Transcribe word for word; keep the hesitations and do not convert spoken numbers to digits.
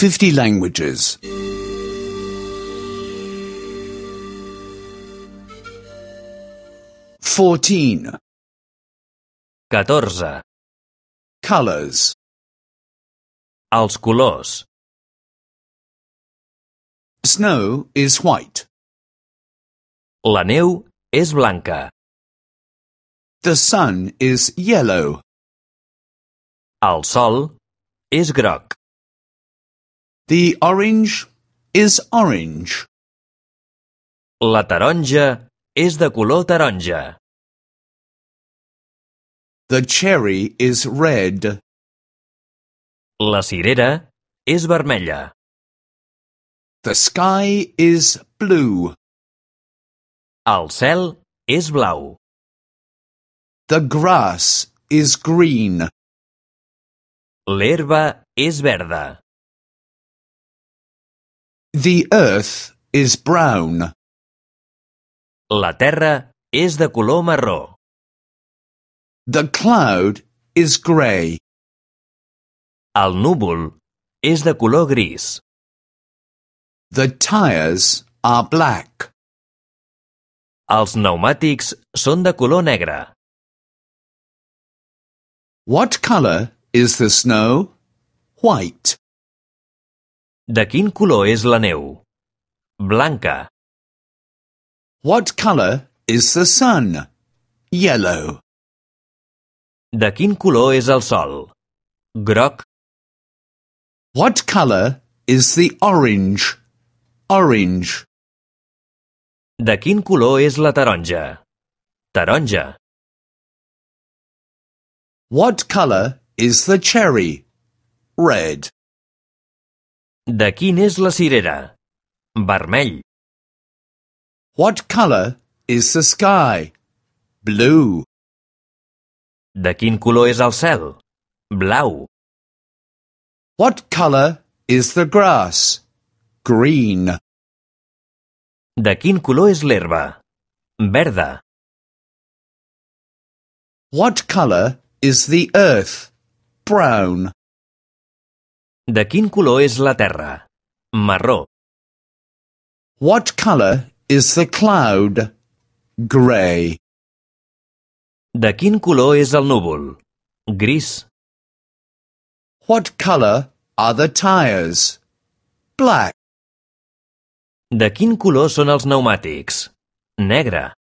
fifty languages. Fourteen. catorze. Colors. Els colors. Snow is white. La neu és blanca. The sun is yellow. El sol és groc. The orange is orange. La taronja és de color taronja. The cherry is red. La cirera és vermella. The sky is blue. El cel és blau. The grass is green. L'herba és verda. The earth is brown. La terra és de color marró. The cloud is grey. El núvol és de color gris. The tires are black. Els pneumàtics són de color negre. What color is the snow? White. De quin color és la neu? Blanca. What color is the sun? Yellow. De quin color és el sol? Groc. What color is the orange? Orange. De quin color és la taronja? Taronja. What color is the cherry? Red. De quin és la cirera? Vermell. What color is the sky? Blue. De quin color és el cel? Blau. What color is the grass? Green. De quin color és l'herba? Verda. What color is the earth? Brown. De quin color és la terra? Marró. What color is the cloud? Grey. De quin color és el núvol? Gris. What color are the tires? Black. De quin color són els pneumàtics? Negre.